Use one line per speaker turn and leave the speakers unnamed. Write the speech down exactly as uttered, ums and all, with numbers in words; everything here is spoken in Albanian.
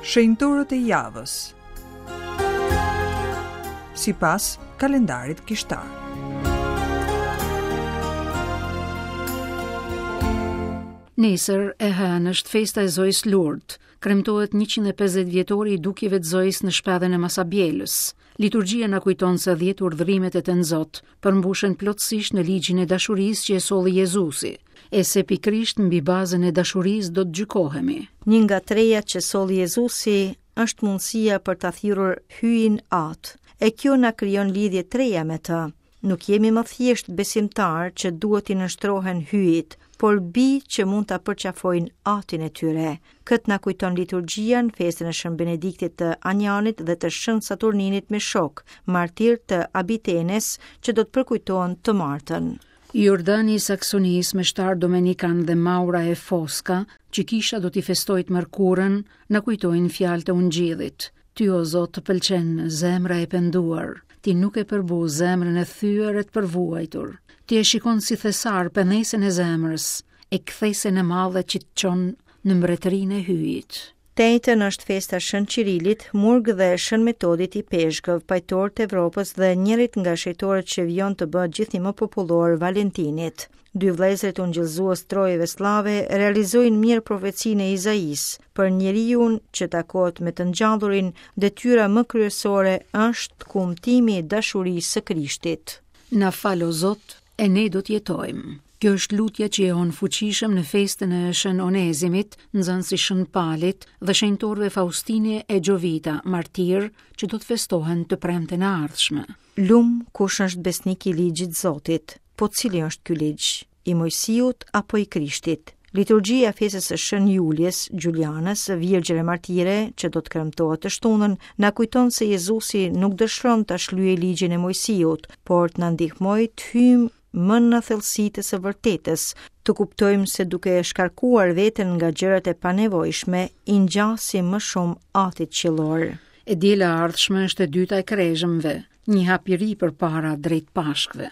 Shenjtorët e javës. Sipas kalendarit kishtar.
Nesër e hënë është festa e Zojës Lourdes. Kremtohet njëqind e pesëdhjetë vjetori i dukjeve të Zojës në shpellën e Masabjelës. Liturgjia na kujton se dhjetë urdhërimet e Tenzot përmbushen plotësisht në ligjin e dashurisë që e solli Jezusi, e se pikërisht mbi bazën e dashurisë do të gjykohemi.
Një nga trejat që solli Jezusi është mundësia për ta thirrur hyjin Atë, e kjo na krijon lidhje treja me të. Nuk jemi më thjesht besimtar që duhet t'i nënshtrohen hyjit, por bi që mund ta përqafojnë atin e tyre. Këtë na kujton liturgjia në festën e Shën Benediktit të Anjanit dhe të Shën Saturninit me shok, martir të Abitenes, që do të përkujtohen të martën.
Jordani i Saksonisë me shtar Domenikan dhe Maura e Foska, që kisha do t'i festojë të mërkurën, na kujtojnë fjalët e Ungjillit. Ty, o Zot, të pëlqen zemra e penduar, ti nuk e përbu zemrën e thyer e të përvuajtur. Ti e shikon si thesar pendesën e zemrës, e kthesën e madhe që të çon në mbretërinë e hyjit.
Tejtën është festa Shën Qirilit, Murg dhe Shën Metodit i Peshkëv, pajtor të Evropës dhe njërit nga shenjtorët që vijon të bëhet gjithnjë më popullor, Valentinit. Dy vëllezërit ungjillëzues trojeve slave realizojnë mirë profecinë e Izaisë. Për njeriun që takohet me të ngjallurin, detyra më kryesore është kumtimi i dashurisë së Krishtit.
Na fal, o Zot, e ne do të jetojmë. Kjo është lutja që jehon fuqishëm në festën e Shën Onezimit, nxënësi Shën Palit dhe shenjtorëve Faustini e Gjovita, martir, që do të festohen të premten e ardhshme.
Lum kush është besnik i ligjit Zotit, po cili është ky ligj? I Mojsiut apo i Krishtit? Liturgjia e festës së Shën Julies, Giulianës, Virgjër e Martire, që do të kremtohet të shtunën, na kujton se Jezusi nuk dëshiron ta shlyejë ligjin e Mojsiut, por të na ndihmojë të hyjmë më në thellësi të së vërtetës, të kuptojmë se duke shkarkuar veten nga gjërat e panevojshme, i ngjasim më shumë Atit Qiellor.
E diela e ardhshme është e dyta e krezhmëve, një hap i ri përpara drejt Pashkëve.